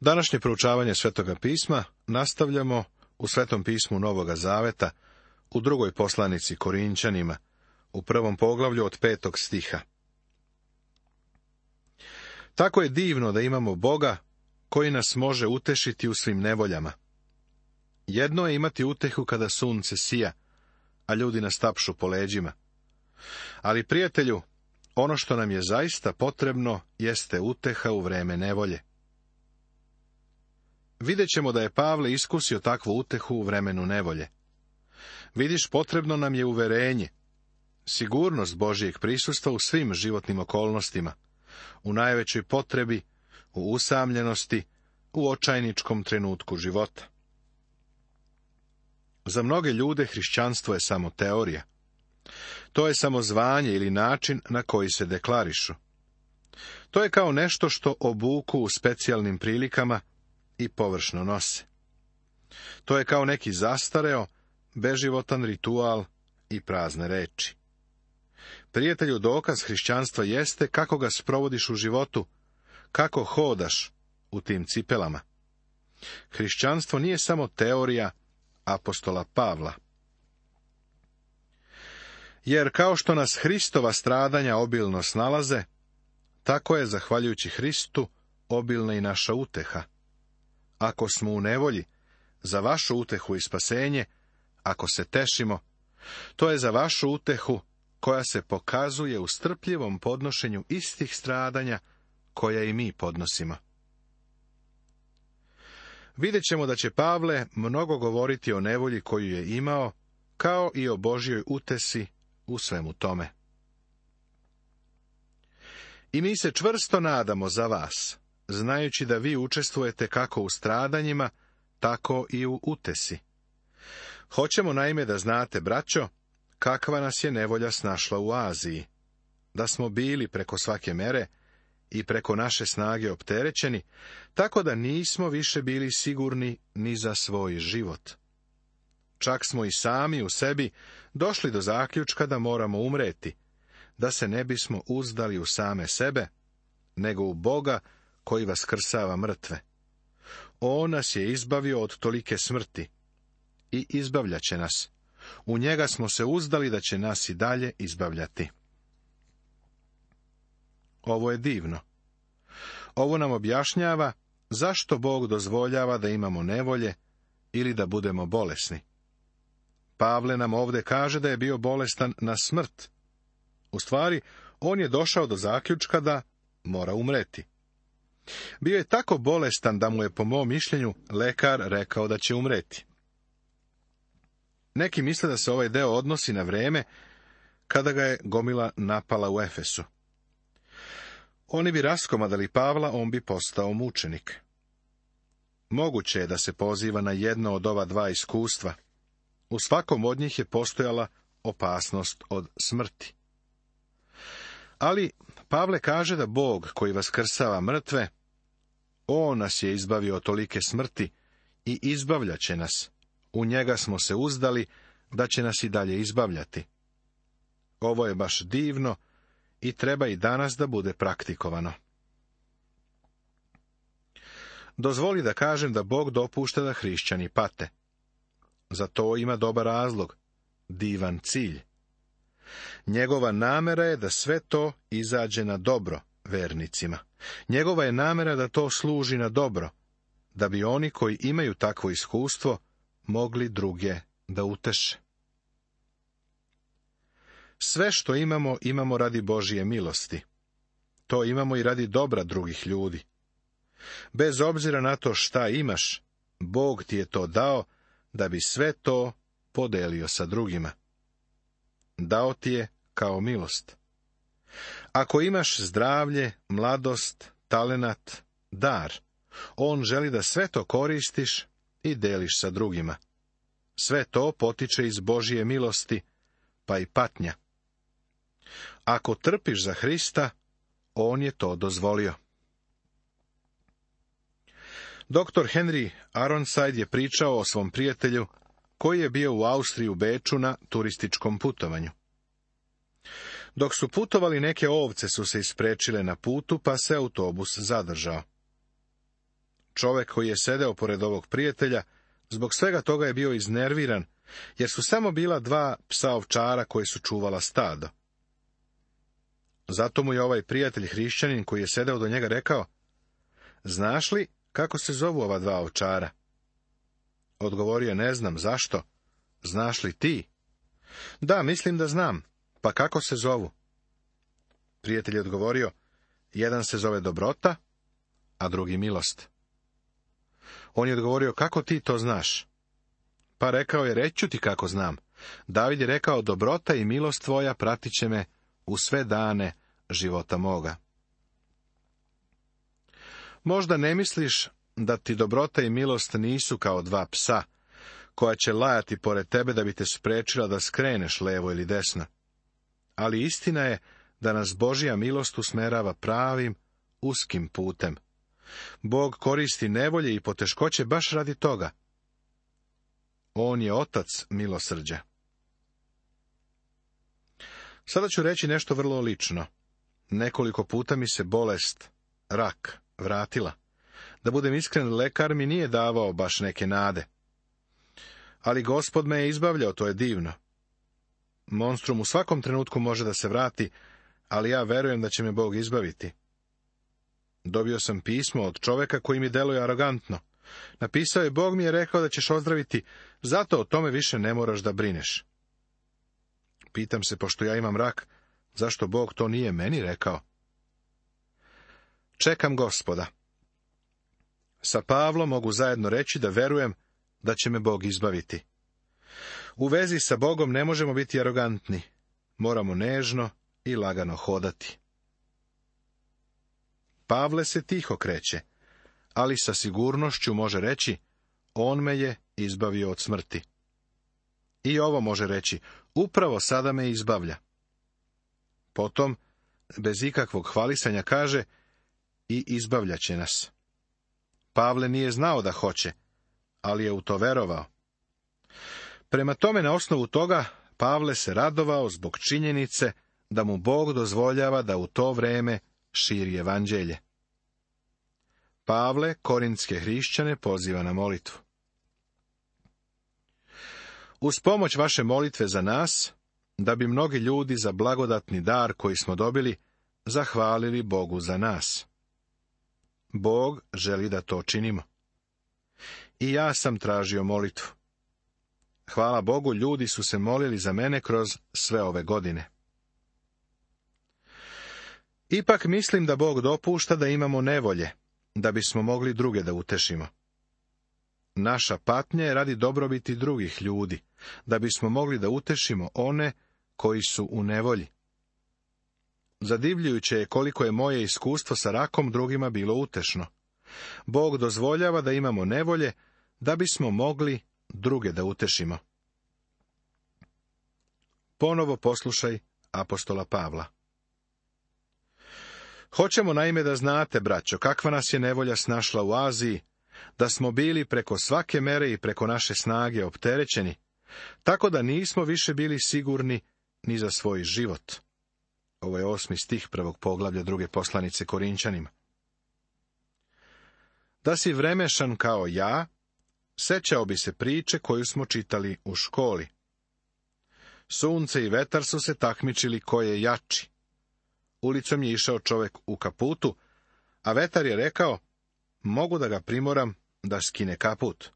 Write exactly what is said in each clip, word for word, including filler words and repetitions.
Današnje proučavanje Svetoga pisma nastavljamo u Svetom pismu Novoga Zaveta, u drugoj poslanici Korinćanima, u prvom poglavlju od petog stiha. Tako je divno da imamo Boga koji nas može utešiti u svim nevoljama. Jedno je imati utehu kada sunce sija, a ljudi nas tapšu po leđima. Ali, prijatelju, ono što nam je zaista potrebno jeste uteha u vreme nevolje. Vidjet ćemo da je Pavle iskusio takvu utehu u vremenu nevolje. Vidiš, potrebno nam je uverenje, sigurnost Božijeg prisustva u svim životnim okolnostima, u najvećoj potrebi, u usamljenosti, u očajničkom trenutku života. Za mnoge ljude hrišćanstvo je samo teorija. To je samo zvanje ili način na koji se deklarišu. To je kao nešto što obuku u specijalnim prilikama i površno nose. To je kao neki zastareo, beživotan ritual i prazne reči. Prijatelju, dokaz hrišćanstva jeste kako ga sprovodiš u životu, kako hodaš u tim cipelama. Hrišćanstvo nije samo teorija apostola Pavla. Jer kao što nas Hristova stradanja obilno snalaze, tako je, zahvaljujući Hristu, obilna i naša uteha. Ako smo u nevolji, za vašu utehu i spasenje, ako se tešimo, to je za vašu utehu koja se pokazuje u strpljivom podnošenju istih stradanja koja i mi podnosimo. Vidjet ćemo da će Pavle mnogo govoriti o nevolji koju je imao, kao i o Božjoj utesi u svemu tome. I mi se čvrsto nadamo za vas, znajući da vi učestvujete kako u stradanjima, tako i u utesi. Hoćemo naime da znate, braćo, kakva nas je nevolja snašla u Aziji, da smo bili preko svake mere i preko naše snage opterećeni, tako da nismo više bili sigurni ni za svoj život. Čak smo i sami u sebi došli do zaključka da moramo umreti, da se ne bismo uzdali u same sebe, nego u Boga koji vaskrsava mrtve. On nas je izbavio od tolike smrti i izbavljat će nas. U njega smo se uzdali da će nas i dalje izbavljati. Ovo je divno. Ovo nam objašnjava zašto Bog dozvoljava da imamo nevolje ili da budemo bolesni. Pavle nam ovdje kaže da je bio bolestan na smrt. U stvari, on je došao do zaključka da mora umreti. Bio je tako bolestan da mu je, po mom mišljenju, lekar rekao da će umreti. Neki misle da se ovaj deo odnosi na vreme kada ga je gomila napala u Efesu. Oni bi raskomadali Pavla, on bi postao mučenik. Moguće je da se poziva na jedno od ova dva iskustva. U svakom od njih je postojala opasnost od smrti. Ali Pavle kaže da Bog koji vaskrsava mrtve, on nas je izbavio od tolike smrti i izbavljat će nas. U njega smo se uzdali da će nas i dalje izbavljati. Ovo je baš divno i treba i danas da bude praktikovano. Dozvoli da kažem da Bog dopušta da hrišćani pate. Za to ima dobar razlog, divan cilj. Njegova namera je da sve to izađe na dobro vernicima. Njegova je namera da to služi na dobro, da bi oni koji imaju takvo iskustvo mogli druge da uteše. Sve što imamo, imamo radi Božije milosti. To imamo i radi dobra drugih ljudi. Bez obzira na to šta imaš, Bog ti je to dao da bi sve to podelio sa drugima. Dao ti je kao milost. Ako imaš zdravlje, mladost, talenat, dar, on želi da sve to koristiš i deliš sa drugima. Sve to potiče iz Božije milosti, pa i patnja. Ako trpiš za Hrista, on je to dozvolio. Doktor Henry Aronside je pričao o svom prijatelju koji je bio u Austriji u Beču na turističkom putovanju. Dok su putovali, neke ovce su se isprečile na putu, pa se autobus zadržao. Čovek koji je sedeo pored ovog prijatelja, zbog svega toga je bio iznerviran, jer su samo bila dva psa ovčara koji su čuvala stado. Zato mu je ovaj prijatelj hrišćanin koji je sedeo do njega rekao: znaš li kako se zovu ova dva ovčara? Odgovorio: ne znam, zašto? Znaš li ti? Da, mislim da znam. Pa kako se zovu? Prijatelj je odgovorio: jedan se zove dobrota, a drugi milost. On je odgovorio: kako ti to znaš? Pa rekao je: reću ti kako znam. David je rekao: dobrota i milost tvoja pratit će me u sve dane života moga. Možda ne misliš da ti dobrota i milost nisu kao dva psa, koja će lajati pored tebe da bi te sprečila da skreneš levo ili desno. Ali istina je da nas Božja milost usmerava pravim, uskim putem. Bog koristi nevolje i poteškoće baš radi toga. On je otac milosrđa. Sada ću reći nešto vrlo lično. Nekoliko puta mi se bolest, rak, vratila. Da budem iskren, lekar mi nije davao baš neke nade. Ali Gospod me je izbavljao, to je divno. Monstrum u svakom trenutku može da se vrati, ali ja verujem da će me Bog izbaviti. Dobio sam pismo od čoveka koji mi deluje arogantno. Napisao je: Bog mi je rekao da ćeš ozdraviti, zato o tome više ne moraš da brineš. Pitam se, pošto ja imam rak, zašto Bog to nije meni rekao? Čekam Gospoda. Sa Pavlom mogu zajedno reći da verujem da će me Bog izbaviti. U vezi sa Bogom ne možemo biti arogantni. Moramo nežno i lagano hodati. Pavle se tiho kreće, ali sa sigurnošću može reći: on me je izbavio od smrti. I ovo može reći: upravo sada me izbavlja. Potom, bez ikakvog hvalisanja kaže: i izbavljaće nas. Pavle nije znao da hoće, ali je u to verovao. Prema tome, na osnovu toga, Pavle se radovao zbog činjenice da mu Bog dozvoljava da u to vreme širi evanđelje. Pavle korintske hrišćane poziva na molitvu. Uz pomoć vaše molitve za nas, da bi mnogi ljudi za blagodatni dar koji smo dobili, zahvalili Bogu za nas. Bog želi da to činimo. I ja sam tražio molitvu. Hvala Bogu, ljudi su se molili za mene kroz sve ove godine. Ipak mislim da Bog dopušta da imamo nevolje, da bismo mogli druge da utešimo. Naša patnja je radi dobrobiti drugih ljudi, da bismo mogli da utešimo one koji su u nevolji. Zadivljujuće je koliko je moje iskustvo sa rakom drugima bilo utešno. Bog dozvoljava da imamo nevolje, da bismo mogli druge da utešimo. Ponovo poslušaj apostola Pavla. Hoćemo naime da znate, braćo, kakva nas je nevolja snašla u Aziji, da smo bili preko svake mere i preko naše snage opterećeni, tako da nismo više bili sigurni ni za svoj život. Ovo je osmi stih prvog poglavlja druge poslanice Korinćanima. Da si vremešan kao ja, sećao bi se priče koju smo čitali u školi. Sunce i vetar su se takmičili ko je jači. Ulicom je išao čovek u kaputu, a vetar je rekao: mogu da ga primoram da skine kaput.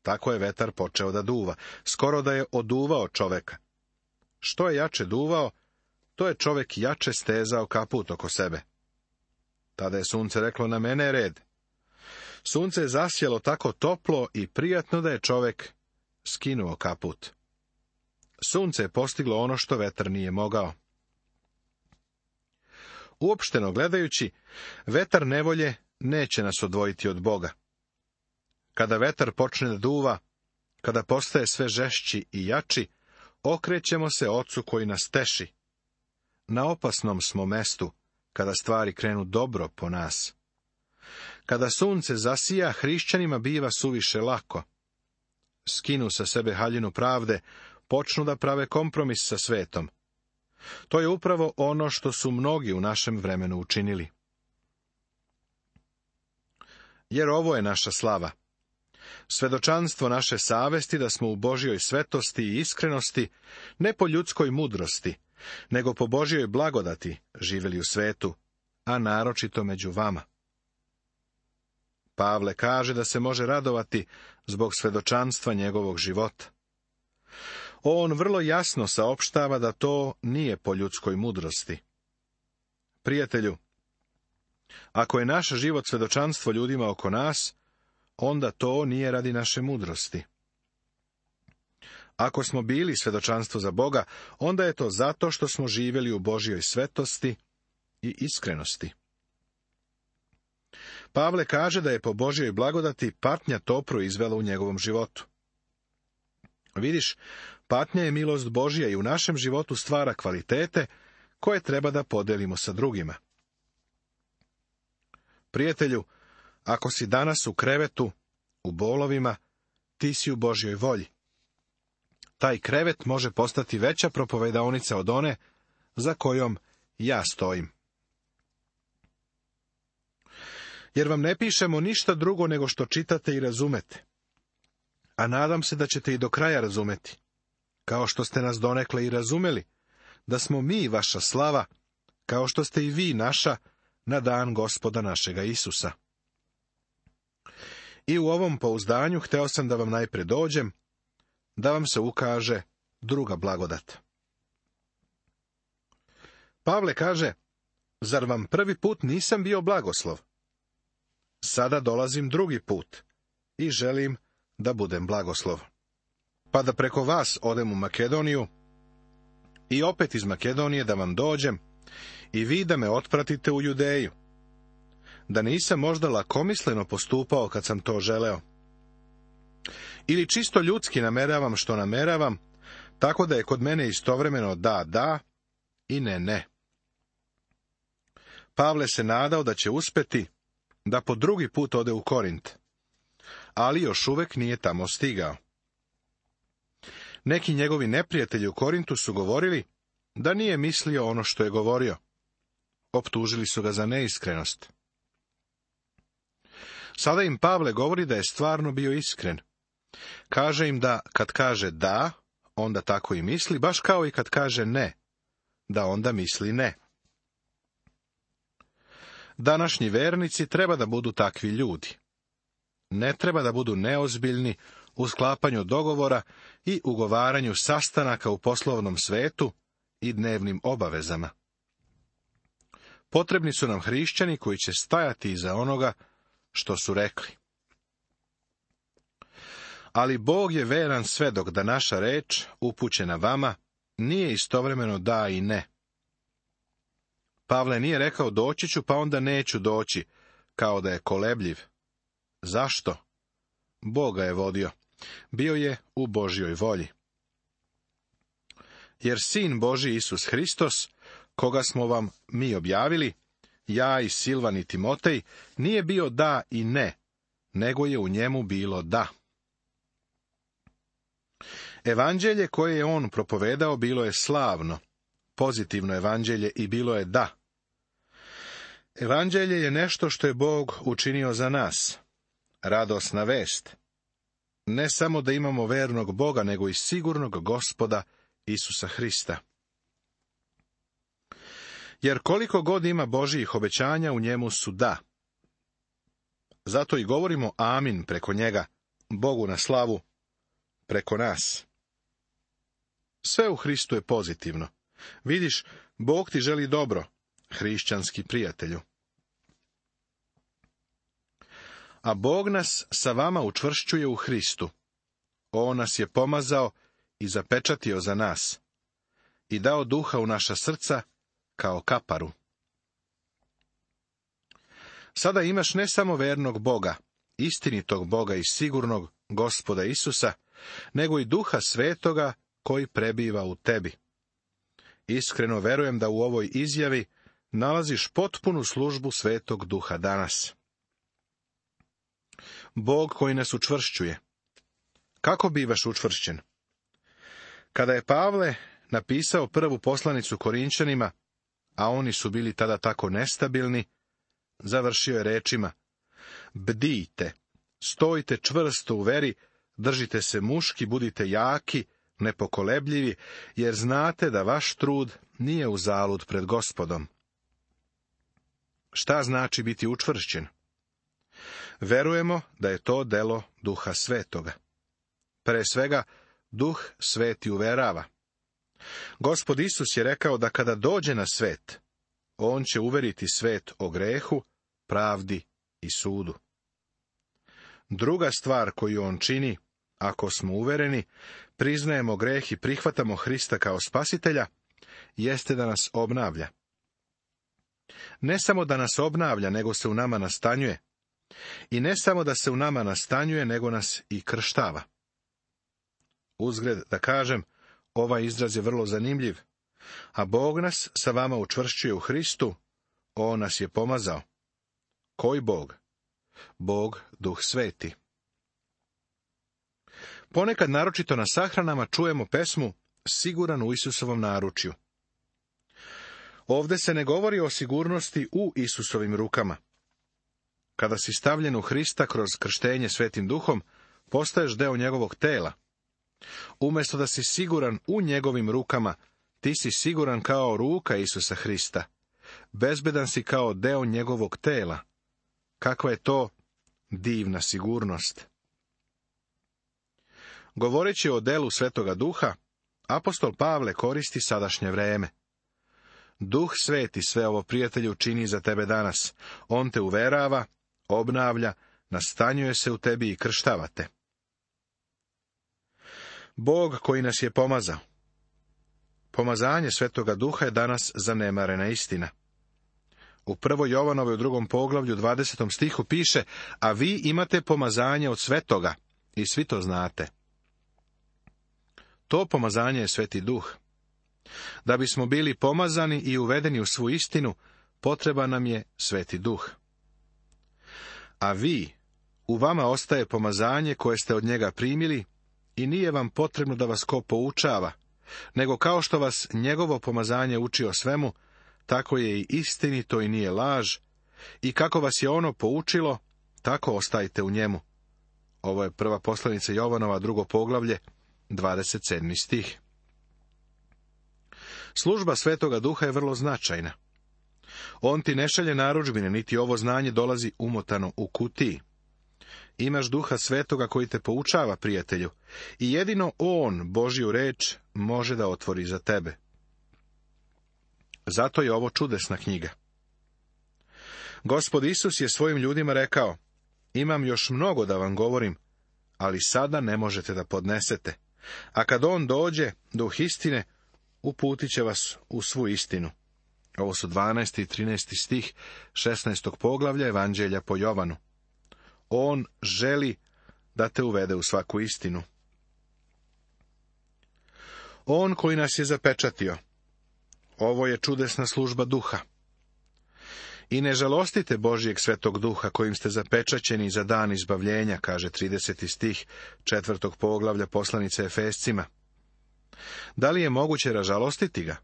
Tako je vetar počeo da duva, skoro da je oduvao čoveka. Što je jače duvao, to je čovek jače stezao kaput oko sebe. Tada je sunce reklo: na mene je red. Sunce je zasjelo tako toplo i prijatno da je čovek skinuo kaput. Sunce je postiglo ono što vetar nije mogao. Uopšteno gledajući, vetar nevolje neće nas odvojiti od Boga. Kada vetar počne da duva, kada postaje sve žešći i jači, okrećemo se Ocu koji nas teši. Na opasnom smo mestu, kada stvari krenu dobro po nas. Kada sunce zasija, hrišćanima biva suviše lako. Skinu sa sebe haljinu pravde, počnu da prave kompromis sa svetom. To je upravo ono što su mnogi u našem vremenu učinili. Jer ovo je naša slava. Svedočanstvo naše savesti da smo u Božjoj svetosti i iskrenosti, ne po ljudskoj mudrosti, nego po Božjoj blagodati živjeli u svetu, a naročito među vama. Pavle kaže da se može radovati zbog svedočanstva njegovog života. On vrlo jasno saopštava da to nije po ljudskoj mudrosti. Prijatelju, ako je naš život svedočanstvo ljudima oko nas, onda to nije radi naše mudrosti. Ako smo bili svedočanstvo za Boga, onda je to zato što smo živjeli u Božjoj svetosti i iskrenosti. Pavle kaže da je po Božjoj blagodati patnja to proizvela u njegovom životu. Vidiš, patnja je milost Božja i u našem životu stvara kvalitete koje treba da podelimo sa drugima. Prijatelju, ako si danas u krevetu, u bolovima, ti si u Božjoj volji. Taj krevet može postati veća propovedaonica od one za kojom ja stojim. Jer vam ne pišemo ništa drugo nego što čitate i razumete. A nadam se da ćete i do kraja razumeti, kao što ste nas donekle i razumeli, da smo mi vaša slava, kao što ste i vi naša, na dan Gospoda našega Isusa. I u ovom pouzdanju hteo sam da vam najpre dođem, da vam se ukaže druga blagodat. Pavle kaže, zar vam prvi put nisam bio blagoslov? Sada dolazim drugi put i želim da budem blagoslov. Pa da preko vas odem u Makedoniju i opet iz Makedonije da vam dođem i vi da me otpratite u Judeju. Da nisam možda lakomisleno postupao kad sam to želeo. Ili čisto ljudski nameravam što nameravam, tako da je kod mene istovremeno da, da i ne, ne. Pavle se nadao da će uspeti da po drugi put ode u Korint, ali još uvek nije tamo stigao. Neki njegovi neprijatelji u Korintu su govorili da nije mislio ono što je govorio. Optužili su ga za neiskrenost. Sada im Pavle govori da je stvarno bio iskren. Kaže im da kad kaže da, onda tako i misli, baš kao i kad kaže ne, da onda misli ne. Današnji vernici treba da budu takvi ljudi. Ne treba da budu neozbiljni u sklapanju dogovora i ugovaranju sastanaka u poslovnom svetu i dnevnim obavezama. Potrebni su nam hrišćani koji će stajati iza onoga što su rekli. Ali Bog je veran svedok da naša reč, upućena vama, nije istovremeno da i ne. Pavle nije rekao doći ću pa onda neću doći, kao da je kolebljiv. Zašto? Bog ga je vodio. Bio je u Božjoj volji. Jer Sin Božji Isus Hristos, koga smo vam mi objavili, ja i Silvan i Timotej, nije bio da i ne, nego je u njemu bilo da. Evanđelje koje je on propovedao bilo je slavno, pozitivno evanđelje i bilo je da. Evanđelje je nešto što je Bog učinio za nas, radosna vest. Ne samo da imamo vernog Boga, nego i sigurnog Gospoda Isusa Hrista. Jer koliko god ima Božjih obećanja, u njemu su da. Zato i govorimo amin preko njega, Bogu na slavu, preko nas. Sve u Hristu je pozitivno. Vidiš, Bog ti želi dobro, hrišćanski prijatelju. A Bog nas sa vama učvršćuje u Hristu. On nas je pomazao i zapečatio za nas i dao duha u naša srca kao kaparu. Sada imaš ne samo vernog Boga, istinitog Boga i sigurnog Gospoda Isusa, nego i Duha Svetoga koji prebiva u tebi. Iskreno verujem da u ovoj izjavi nalaziš potpunu službu Svetog Duha danas. Bog koji nas učvršćuje. Kako bivaš učvršćen? Kada je Pavle napisao prvu poslanicu Korinćanima, a oni su bili tada tako nestabilni, završio je rečima: Bdijte, stojite čvrsto u veri, držite se muški, budite jaki, nepokolebljivi, jer znate da vaš trud nije uzalud pred Gospodom. Šta znači biti učvršćen? Verujemo da je to delo Duha Svetoga. Pre svega, Duh Sveti uverava. Gospod Isus je rekao da kada dođe na svet, on će uveriti svet o grehu, pravdi i sudu. Druga stvar koju on čini, ako smo uvereni, priznajemo greh i prihvatamo Hrista kao spasitelja, jeste da nas obnavlja. Ne samo da nas obnavlja, nego se u nama nastanjuje. I ne samo da se u nama nastanjuje, nego nas i krštava. Uzgred da kažem, ovaj izraz je vrlo zanimljiv, a Bog nas sa vama učvršćuje u Hristu, on nas je pomazao. Koji Bog? Bog, Duh Sveti. Ponekad, naročito na sahranama, čujemo pesmu Siguran u Isusovom naručju. Ovde se ne govori o sigurnosti u Isusovim rukama. Kada si stavljen u Hrista kroz krštenje Svetim Duhom, postaješ deo njegovog tela. Umjesto da si siguran u njegovim rukama, ti si siguran kao ruka Isusa Hrista. Bezbedan si kao deo njegovog tela. Kakva je to divna sigurnost! Govoreći o delu Svetoga Duha, apostol Pavle koristi sadašnje vreme. Duh Sveti sve ovo, prijatelju, čini za tebe danas. On te uverava, obnavlja, nastanjuje se u tebi i krštava te. Bog koji nas je pomazao. Pomazanje Svetoga Duha je danas zanemarena istina. U prvoj Jovanovoj u drugom poglavlju dvadesetom stihu piše: a vi imate pomazanje od Svetoga i svi to znate. To pomazanje je Sveti Duh. Da bismo bili pomazani i uvedeni u svu istinu, potreban nam je Sveti Duh. A vi, u vama ostaje pomazanje koje ste od njega primili i nije vam potrebno da vas ko poučava, nego kao što vas njegovo pomazanje uči o svemu, tako je i istinito i nije laž, i kako vas je ono poučilo, tako ostajte u njemu. Ovo je prva poslanica Jovanova, drugo poglavlje, dvadeset sedmi stih. Služba Svetoga Duha je vrlo značajna. On ti ne šalje narudžbine, niti ovo znanje dolazi umotano u kutiji. Imaš Duha Svetoga koji te poučava, prijatelju, i jedino on Božju reč može da otvori za tebe. Zato je ovo čudesna knjiga. Gospod Isus je svojim ljudima rekao: imam još mnogo da vam govorim, ali sada ne možete da podnesete. A kad on dođe, Duh istine, uputit će vas u svu istinu. Ovo su dvanaesti i trinaesti stih šesnaestog poglavlja Evanđelja po Jovanu. On želi da te uvede u svaku istinu. On koji nas je zapečatio. Ovo je čudesna služba Duha. I ne žalostite Božijeg Svetog Duha kojim ste zapečaćeni za dan izbavljenja, kaže trideseti stih četvrtog poglavlja poslanice Efescima. Da li je moguće ražalostiti ga?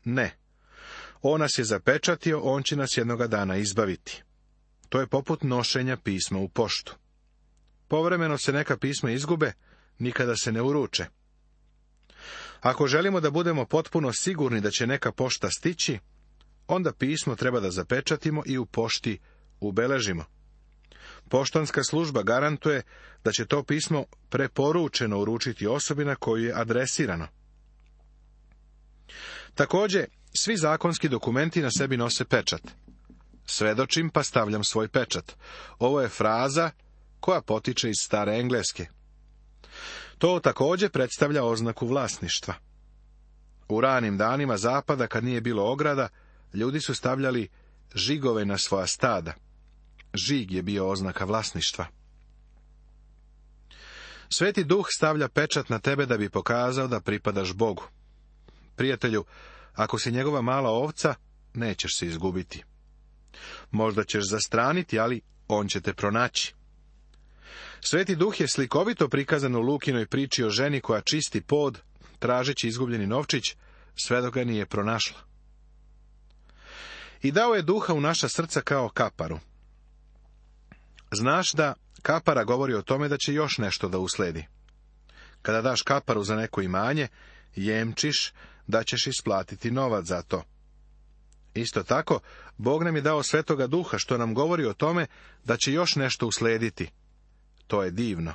Ne. On nas je zapečatio, on će nas jednoga dana izbaviti. To je poput nošenja pisma u poštu. Povremeno se neka pisma izgube, nikada se ne uruče. Ako želimo da budemo potpuno sigurni da će neka pošta stići, onda pismo treba da zapečatimo i u pošti ubeležimo. Poštanska služba garantuje da će to pismo preporučeno uručiti osobi na koju je adresirano. Također, svi zakonski dokumenti na sebi nose pečat. Svedočim pa stavljam svoj pečat. Ovo je fraza koja potiče iz stare Engleske. To također predstavlja oznaku vlasništva. U ranim danima zapada, kad nije bilo ograda, ljudi su stavljali žigove na svoja stada. Žig je bio oznaka vlasništva. Sveti Duh stavlja pečat na tebe da bi pokazao da pripadaš Bogu. Prijatelju, ako si njegova mala ovca, nećeš se izgubiti. Možda ćeš zastraniti, ali on će te pronaći. Sveti Duh je slikovito prikazan u Lukinoj priči o ženi koja čisti pod, tražeći izgubljeni novčić, sve dok ga nije pronašla. I dao je Duha u naša srca kao kaparu. Znaš da kapara govori o tome da će još nešto da usledi. Kada daš kaparu za neko imanje, jemčiš da ćeš isplatiti novac za to. Isto tako, Bog nam je dao Svetoga Duha, što nam govori o tome da će još nešto uslediti. To je divno.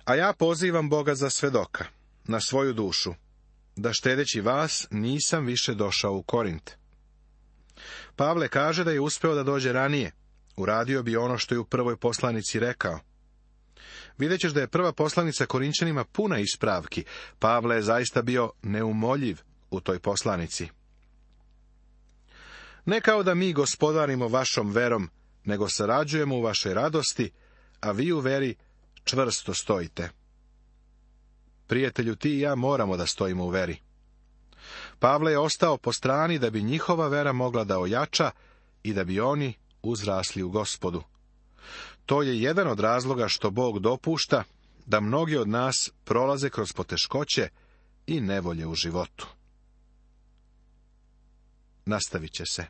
A ja pozivam Boga za svedoka, na svoju dušu, da štedeći vas nisam više došao u Korint. Pavle kaže da je uspeo da dođe ranije. Uradio bi ono što je u prvoj poslanici rekao. Vidjet ćeš da je prva poslanica Korinćanima puna ispravki. Pavle je zaista bio neumoljiv u toj poslanici. Ne kao da mi gospodarimo vašom verom, nego sarađujemo u vašoj radosti, a vi u veri čvrsto stojite. Prijatelju, ti i ja moramo da stojimo u veri. Pavle je ostao po strani da bi njihova vera mogla da ojača i da bi oni uzrasli u Gospodu. To je jedan od razloga što Bog dopušta da mnogi od nas prolaze kroz poteškoće i nevolje u životu. Nastavit će se.